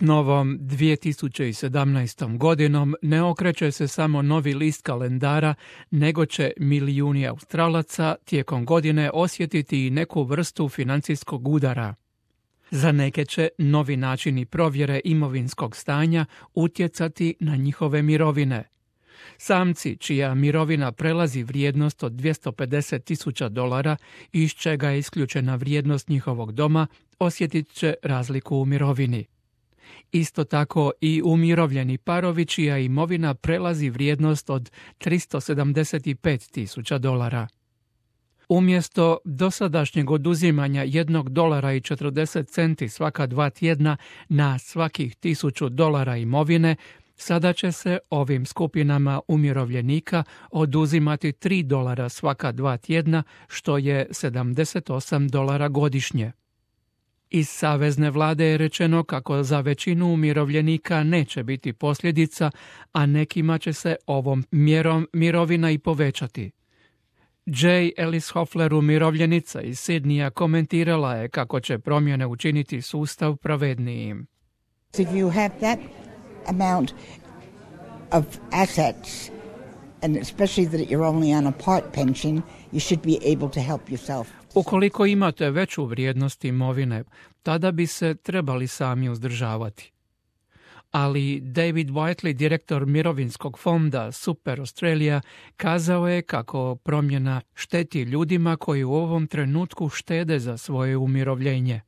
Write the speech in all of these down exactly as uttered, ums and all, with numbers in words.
S novom dvije tisuće sedamnaestom godinom ne okreće se samo novi list kalendara, nego će milijuni Australaca tijekom godine osjetiti i neku vrstu financijskog udara. Za neke će novi načini provjere imovinskog stanja utjecati na njihove mirovine. Samci, čija mirovina prelazi vrijednost od dvjesto pedeset tisuća dolara, iz čega je isključena vrijednost njihovog doma, osjetit će razliku u mirovini. Isto tako i umirovljeni parovi čija imovina prelazi vrijednost od tristo sedamdeset pet tisuća dolara. Umjesto dosadašnjeg oduzimanja jednog dolara i četrdeset centi svaka dva tjedna na svakih tisuću dolara imovine, sada će se ovim skupinama umirovljenika oduzimati tri dolara svaka dva tjedna, što je sedamdeset osam dolara godišnje. Iz savezne vlade je rečeno kako za većinu umirovljenika neće biti posljedica, a nekima će se ovom mjerom mirovina i povećati. Jay Ellis Hoffler, umirovljenica iz Sidneya, komentirala je kako će promjene učiniti sustav pravednijim. If you have that amount of assets, and especially that you're only on a part pension, you should be able to help yourself. Ukoliko imate veću vrijednost imovine, tada bi se trebali sami uzdržavati. Ali David Whiteley, direktor mirovinskog fonda Super Australia, kazao je kako promjena šteti ljudima koji u ovom trenutku štede za svoje umirovljenje.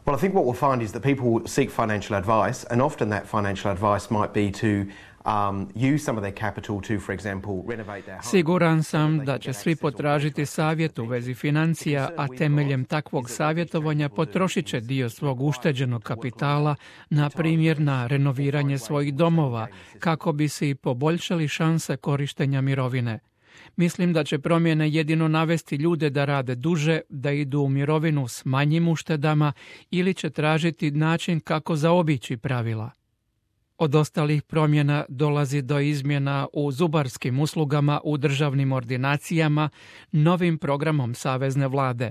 Well, I think what we'll find is that people seek financial advice, and often that financial advice might be to um, use some of their capital to, for example, renovate their home. Siguran sam da će svi potražiti savjet u vezi financija, a temeljem takvog savjetovanja potrošit će dio svog ušteđenog kapitala, na primjer na renoviranje svojih domova, kako bi si poboljšali šanse korištenja mirovine. Mislim da će promjene jedino navesti ljude da rade duže, da idu u mirovinu s manjim uštedama ili će tražiti način kako zaobići pravila. Od ostalih promjena dolazi do izmjena u zubarskim uslugama u državnim ordinacijama novim programom savezne vlade.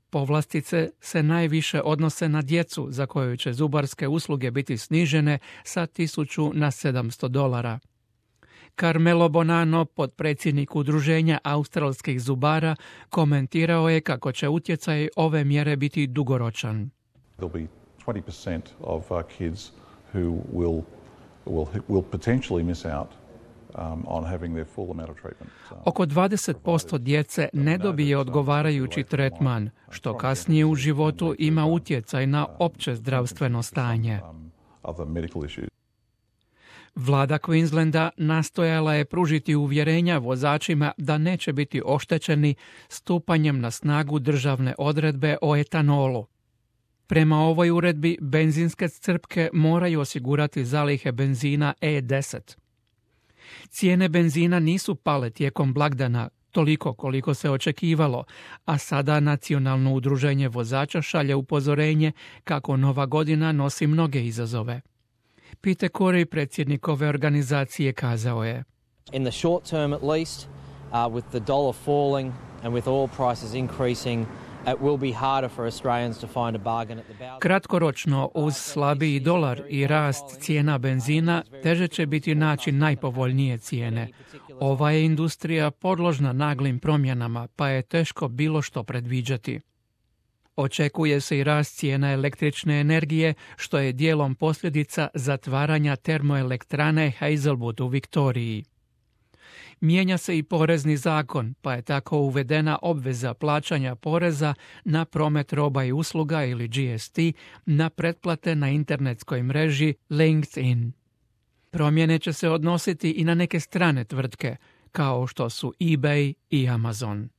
Povlastice se najviše odnose na djecu za koju će zubarske usluge biti snižene sa tisuću na sedamsto dolara. Carmelo Bonanno, potpredsjednik udruženja australskih zubara, komentirao je kako će utjecaj ove mjere biti dugoročan. There'll be twenty percent of uh, kids who will will will potentially miss out um, on having their full amount of treatment. Oko dvadeset posto djece ne dobije odgovarajući tretman, što kasnije u životu ima utjecaj na opće zdravstveno stanje. Vlada Queenslanda nastojala je pružiti uvjerenja vozačima da neće biti oštećeni stupanjem na snagu državne odredbe o etanolu. Prema ovoj uredbi, benzinske crpke moraju osigurati zalihe benzina E deset. Cijene benzina nisu pale tijekom blagdana, toliko koliko se očekivalo, a sada Nacionalno udruženje vozača šalje upozorenje kako nova godina nosi mnoge izazove. Peter Corey, predsjednik ove organizacije, kazao je: In the short term at least, uh, with the dollar falling and with oil prices increasing, it will be harder for Australians to find a bargain at the bow. Kratkoročno, uz slabiji dolar i rast cijena benzina, teže će biti naći najpovoljnije cijene. Ova je industrija podložna naglim promjenama, pa je teško bilo što predviđati. Očekuje se i rast cijena električne energije, što je dijelom posljedica zatvaranja termoelektrane Hazelwood u Viktoriji. Mijenja se i porezni zakon, pa je tako uvedena obveza plaćanja poreza na promet roba i usluga ili G S T na pretplate na internetskoj mreži LinkedIn. Promjene će se odnositi i na neke strane tvrtke, kao što su eBay i Amazon.